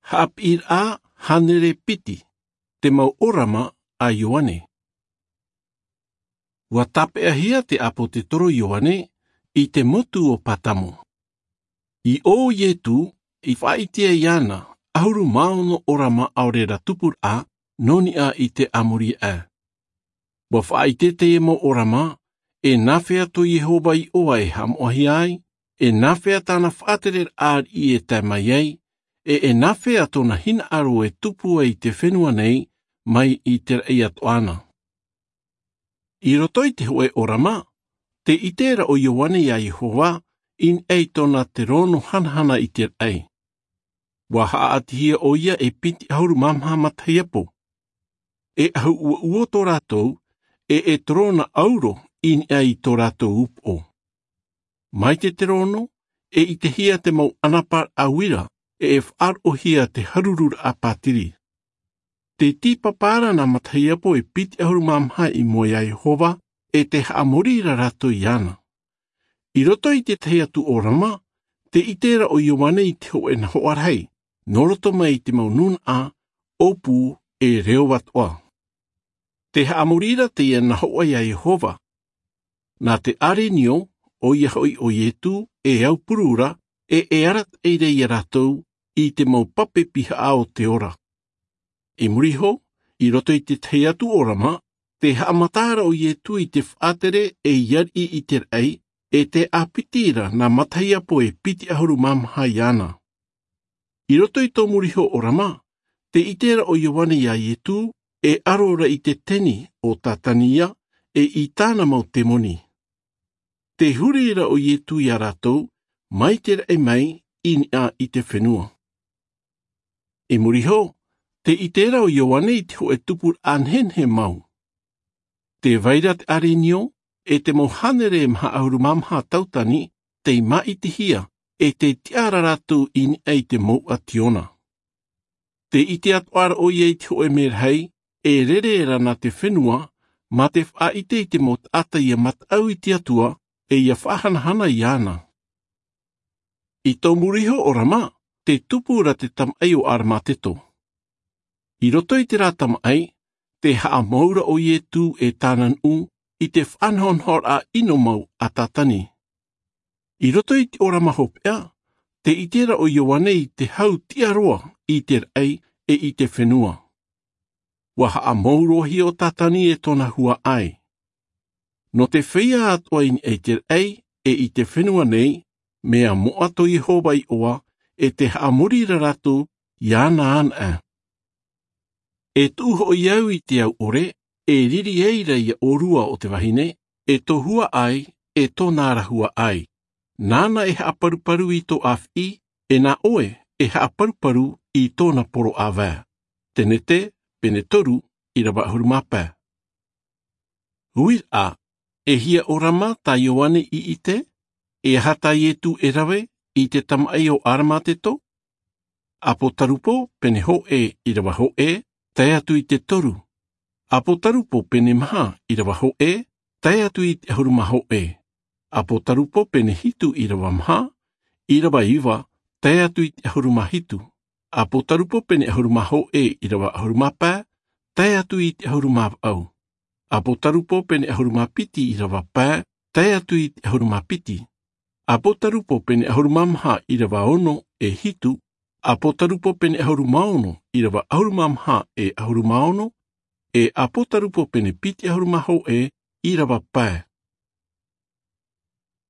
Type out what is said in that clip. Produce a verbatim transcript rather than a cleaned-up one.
Haʻapiʻiraʻa hānere piti. Te mau ʻōrama a Ioane. Ua tāpeʻahia te ʻāpōsetolo Ioane i te motu o Patamo. I ʻō Ietu i faʻaʻite ai iāna ʻahuru mā ono ʻōrama ʻaore rā tupuraʻa nō niʻa i te ʻāmori aʻe. Ua faʻaʻite teie mau ʻōrama, e nāfea tō Iehova iʻoa e haʻamoʻahia ai, e nāfea tāna faʻatereraʻa ariʻi e tae mai ai, e e nāfea tōna hinaʻaro e tupu ai i te fenua nei mai i te raʻi atoʻa na. I roto i te hōʻē ʻōrama, tē ʻite ra ʻo Ioane iā Iehova i niʻa i tōna terōno hanahana i te raʻi. Ua haʻaʻatihia ʻoia e piti ʻahuru mā maha matahiapo. E ʻahu ʻuoʻuo tō rātou, e e terōna ʻauro i niʻa i tō rātou upoʻo. Mai te terōno, e ʻitehia te mau ʻanaparaʻa uira, e e faʻaroʻohia te harururaʻa pātiri. Tē tīpapa ra nā matahiapo e piti ʻahuru mā maha i mua iā Iehova, e tē haʻamori ra rātou iāna. I roto i te tahi atu ʻōrama, tē ʻite ra ʻo Ioane i te hōʻē nahoʻa rahi, nō roto mai i te mau nūnaʻa, ʻōpū, e reo atoʻa. Tē haʻamori ra teie nahoʻa iā Iehova. Nā te ʻarenio, ʻoia hoʻi ʻo Ietu, e aupuru ra, e e arataʻi ra iā rātou i te mau pape pihaʻa o te ora. I muri iho, i roto i te tahi atu ʻōrama, tē haʻamata ra ʻo Ietu i te faʻatere ei ariʻi i te raʻi, e tē ʻāpiti ra nā matahiapo e piti ʻahuru mā maha iāna. I roto i tō muri iho ʻōrama, tē ʻite ra ʻo Ioane iā Ietu, e aro ra i te teni o Satani ia, e i tāna mau temoni. Tē huri ra ʻo Ietu iā rātou, mai te raʻi mai, i niʻa i te fenua. I muri iho, tē ʻite ra ʻo Ioane i te hōʻē tupuraʻa nehenehe mau. Tē vai ra te ʻarenio, e te mau hānere maha ʻahuru mā maha tautani, tei māʻitihia, e tē tiʻa ra rātou i niʻa i te mouʻa tiona. Tē ʻite atoʻa ra ʻoia i te hōʻē merahi, e rere ra nā te fenua, mā te faʻaʻite i te mau taʻata ia mataʻu i te Atua, e ia faʻahanahana iāna. I tō muri iho ʻōrama, tē tupu ra te tamaʻi o Aramateto. I roto i terā tamaʻi, tē haʻamou ra ʻo Ietu e tāna nuʻu i te faʻanahonahoraʻa ʻino mau a Satani. I roto i te ʻōrama hopeʻa, tē ʻite ra ʻo Ioane i te hau tiʻa roa i te raʻi e i te fenua. Ua haʻamou roa hia ʻo Satani e tōna huaʻai. Nō te feiā atoʻa i niʻa i te raʻi e i te fenua nei, mea moʻa tō Iehova iʻoa, e tē haʻamori ra rātou iāna anaʻe. E tuʻu hoʻi au i te au ʻore, e riri ai ra ia ʻōrua o te vahine, e tō huaʻai, e tōna ra huaʻai. Nāna e haʻaparuparu i tō ʻāfiʻi, e nā ʻoe e haʻaparuparu i tōna poro ʻāvae. Tenete, pene toru, ʻīrava ʻahuru mā pae. Uiraʻa, e hia ʻōrama tā Ioane i ʻite, e aha tā Ietu e rave i te tamaʻi o Aramateto? ʻApotarupo, pene hōʻē, ʻīrava hōʻē, tae atu i te toru. ʻApotarupo, pene maha, ʻīrava hōʻē, tae atu i te ʻahuru mā hōʻē. ʻApotarupo, pene hitu, ʻīrava maha, ʻīrava iva, tae atu i te ʻahuru mā hitu. ʻApotarupo, pene ʻahuru mā hōʻē, ʻīrava ʻahuru mā pae, tae atu i te ʻahuru mā vaʻu. ʻApotarupo, pene ʻahuru mā piti, ʻīrava pae, tae atu i te ʻahuru mā piti. ʻApotarupo, pene ʻahuru mā maha, ʻīrava ono e hitu. ʻApotarupo, pene ʻahuru mā ono, ʻīrava ʻahuru mā maha e ʻahuru mā ono. E ʻApotarupo, pene piti ʻahuru mā hōʻē, ʻīrava pae.